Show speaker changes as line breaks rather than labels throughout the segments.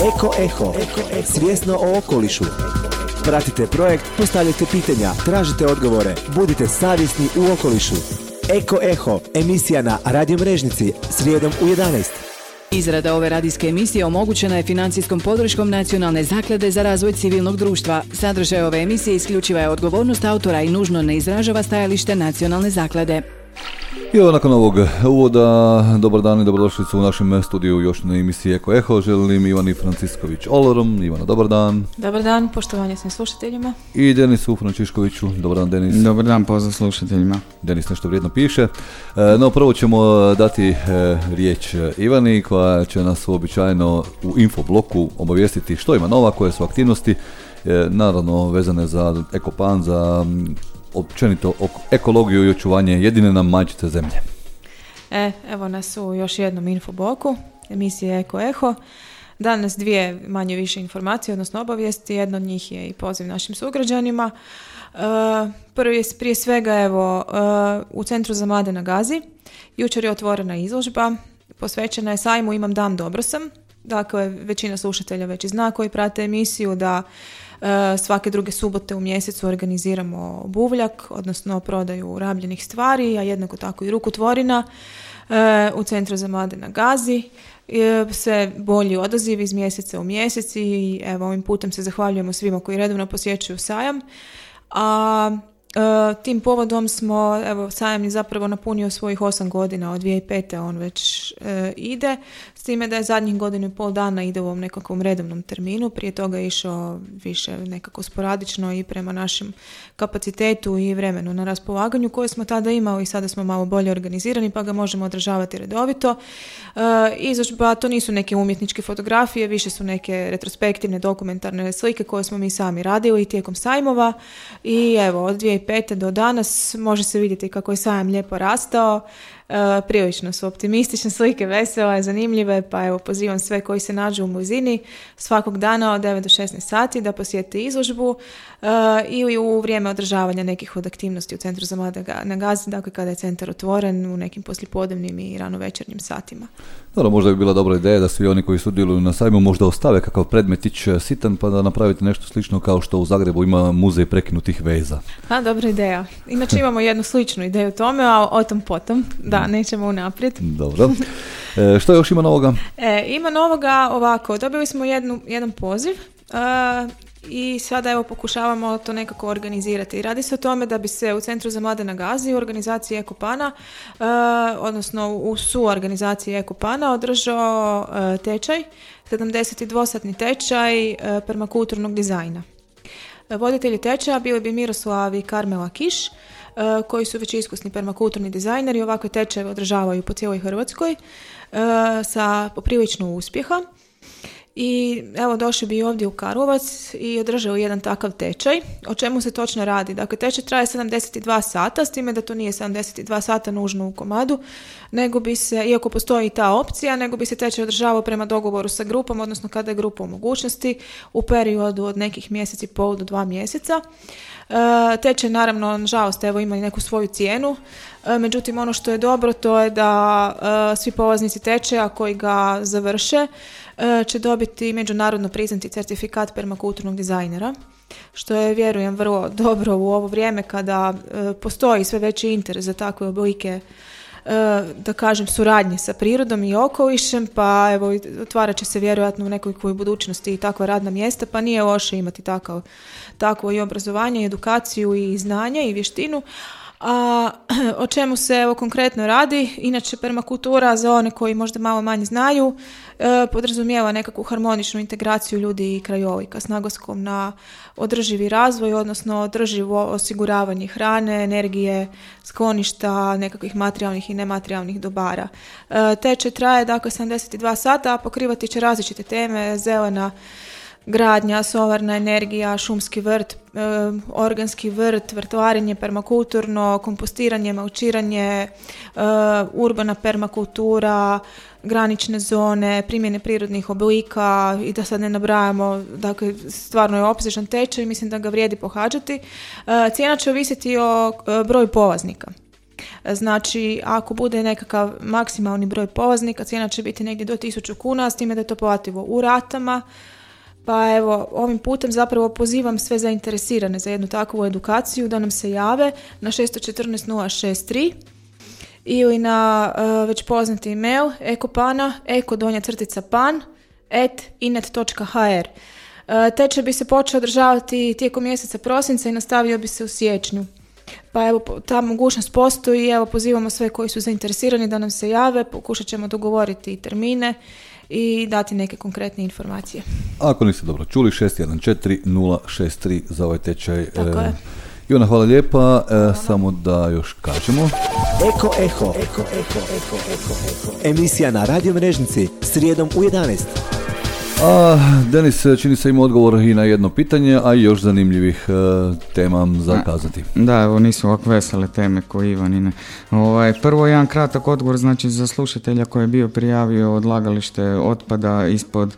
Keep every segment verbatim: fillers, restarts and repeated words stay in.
Eko Eho, svjesno o okolišu. Pratite projekt, postavljajte pitanja, tražite odgovore, budite savjesni u okolišu. Eko Eho, emisija na Radio Mrežnici, srijedom u jedanaest.
Izrada ove radijske emisije omogućena je financijskom podrškom Nacionalne zaklade za razvoj civilnog društva. Sadržaj ove emisije isključiva je odgovornost autora i nužno ne izražava stajalište Nacionalne zaklade.
I evo nakon ovog uvoda, dobar dan i dobrodošlicu u našem studiju još na emisiji Eko Eho. Želim Ivani Francisković Olorom. Ivana, dobar dan.
Dobar dan, poštovanje svim slušateljima.
I Denisu Frančiškoviću. Dobar dan, Denis.
Dobar dan, pozdrav slušateljima.
Denis nešto vrijedno piše. No, prvo ćemo dati riječ Ivani koja će nas uobičajeno u infobloku obavijestiti što ima nova, koje su aktivnosti, naravno vezane za Ekopan, za općenito ekologiju i očuvanje jedine nam majčice zemlje.
E, evo nas u još jednom infobloku emisije Eko Eho. Danas dvije manje više informacije, odnosno obavijesti. Jedna od njih je i poziv našim sugrađanima. E, prvi je prije svega evo e, u Centru za mlade na Gazi. Jučer je otvorena izložba, posvećena je sajmu Imam dan, dobro sam. Dakle, većina slušatelja već i zna koji prate emisiju da svake druge subote u mjesecu organiziramo buvljak, odnosno prodaju rabljenih stvari, a jednako tako i rukotvorina u Centru za mlade na Gazi. Sve bolji odaziv iz mjeseca u mjesec i evo ovim putem se zahvaljujemo svima koji redovno posjećuju sajam. A Uh, tim povodom smo, evo, sajam je zapravo napunio svojih osam godina, od dvije tisuće pete on već uh, ide, s time da je zadnjih godinu i pol dana ide u ovom nekakvom redovnom terminu, prije toga je išao više nekako sporadično i prema našem kapacitetu i vremenu na raspolaganju koje smo tada imali i sada smo malo bolje organizirani pa ga možemo održavati redovito. Uh, izložba, to nisu neke umjetničke fotografije, više su neke retrospektivne dokumentarne slike koje smo mi sami radili tijekom sajmova i evo, od dvije tisuće pete do danas može se vidjeti kako je sajam lijepo rastao. Uh, prilično su optimistične slike, vesele, zanimljive, pa evo pozivam sve koji se nađu u blizini svakog dana od devet do šesnaest sati da posjete izložbu uh, ili u vrijeme održavanja nekih od aktivnosti u Centru za mlade na Gazi, dakle kada je centar otvoren u nekim poslijepodnevnim i ranovečernjim satima.
Dobro, možda bi bila dobra ideja da svi oni koji sudjeluju na sajmu možda ostave kakav predmetić sitan pa da napravite nešto slično kao što u Zagrebu ima muzej prekinutih veza.
A, dobra ideja. Inače imamo jednu sličnu ideju o tome, a o tom potom, da, nećemo unaprijed.
Dobro. E, što još ima novoga?
E, ima novoga ovako, dobili smo jednu, jedan poziv uh, i sada evo pokušavamo to nekako organizirati. Radi se o tome da bi se u Centru za mlade na Gazi u organizaciji Ekopana, uh, odnosno u suorganizaciji Ekopana održao uh, tečaj, sedamdesetdvosatni tečaj uh, permakulturnog dizajna. Voditelji tečaja bili bi Miroslav i Karmela Kiš, koji su već iskusni permakulturni dizajneri i ovakve tečajeve održavaju po cijeloj Hrvatskoj sa poprilično uspjeha. I evo došli bi ovdje u Karlovac i održali jedan takav tečaj. O čemu se točno radi? Dakle, tečaj traje sedamdeset dva sata, s time da to nije sedamdeset dva sata nužno u komadu, nego bi se, iako postoji ta opcija, nego bi se tečaj održavao prema dogovoru sa grupom, odnosno kada je grupa u mogućnosti, u periodu od nekih mjeseci i pol do dva mjeseca. E, tečaj naravno, nažalost, evo ima i neku svoju cijenu, e, međutim ono što je dobro to je da e, svi polaznici tečaja koji ga završe će dobiti međunarodno priznati certifikat permakulturnog dizajnera, što je, vjerujem, vrlo dobro u ovo vrijeme kada e, postoji sve veći interes za takve oblike, e, da kažem, suradnje sa prirodom i okolišem, pa evo, otvarat će se vjerojatno u nekoj budućnosti i takva radna mjesta, pa nije loše imati takav, takvo i obrazovanje, i edukaciju, i znanje, i vještinu. A o čemu se evo konkretno radi? Inače, permakultura, za one koji možda malo manje znaju, e, podrazumijeva nekakvu harmoničnu integraciju ljudi i krajolika s naglaskom na održivi razvoj, odnosno održivo osiguravanje hrane, energije, skloništa, nekakvih materijalnih i nematerijalnih dobara. E, tečaj traje dakle sedamdeset dva sata, a pokrivati će različite teme: zelena gradnja, solarna energija, šumski vrt, e, organski vrt, vrtlarenje permakulturno, kompostiranje, malčiranje, e, urbana permakultura, granične zone, primjene prirodnih oblika i da sad ne nabrajamo, dakle stvarno je opsežan tečaj i mislim da ga vrijedi pohađati. E, cijena će ovisiti o e, broju polaznika. Znači, ako bude nekakav maksimalni broj polaznika, cijena će biti negdje do tisuću kuna, s time da je to plativo u ratama. Pa evo, ovim putem zapravo pozivam sve zainteresirane za jednu takvu edukaciju da nam se jave na šest jedan četiri nula šest tri ili na uh, već poznati email ekopana, eko donja crtica pan, at inet točka ha er. Uh, tečaj bi se počeo održavati tijekom mjeseca prosinca i nastavio bi se u siječnju. Pa evo, ta mogućnost postoji, evo pozivamo sve koji su zainteresirani da nam se jave, pokušat ćemo dogovoriti termine i dati neke konkretne informacije.
Ako niste dobro čuli, šest jedan četiri nula šest tri za ovaj tečaj.
Tako je.
Ivana, hvala lijepa. E, samo da još kažemo.
Eko Eho. Eko, Eko, Eko, Eko, Eko. Emisija na Radio Mrežnici, srijedom u jedanaest.
A Denis čini se ima odgovor i na jedno pitanje, a i još zanimljivih e, tema za kazati.
Da, evo nisu ovako vesele teme koji Ivanine. Ovaj, prvo jedan kratak odgovor, znači za slušatelja koji je bio prijavio odlagalište otpada ispod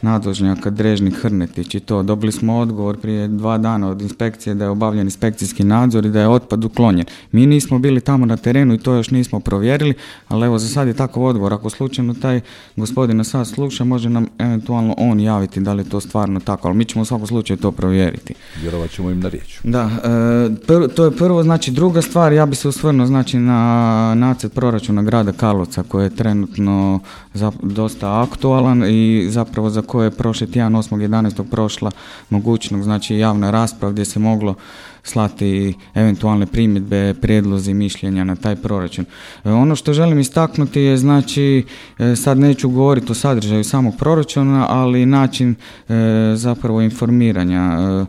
nadvožnjaka Drežnik Hrnetić i to. Dobili smo odgovor prije dva dana od inspekcije da je obavljen inspekcijski nadzor i da je otpad uklonjen. Mi nismo bili tamo na terenu i to još nismo provjerili, ali evo za sad je takav odgovor. Ako slučajno taj gospodin sad sluša, može nam eventualno on javiti da li je to stvarno tako, ali mi ćemo u svakom slučaju to provjeriti.
Vjerovat ćemo im na riječ.
Da, e, prvo, to je prvo, znači druga stvar, ja bi se osvrnuo znači na nacrt proračuna grada Karlovca koji je trenutno za, dosta aktualan i zapravo za koje je prošli tjedan osmog jedanaestog prošla mogućnost, znači javna rasprava gdje se moglo slati eventualne primjedbe, prijedlozi, mišljenja na taj proračun. E, ono što želim istaknuti je, znači, e, sad neću govoriti o sadržaju samog proračuna, ali način e, zapravo informiranja. E,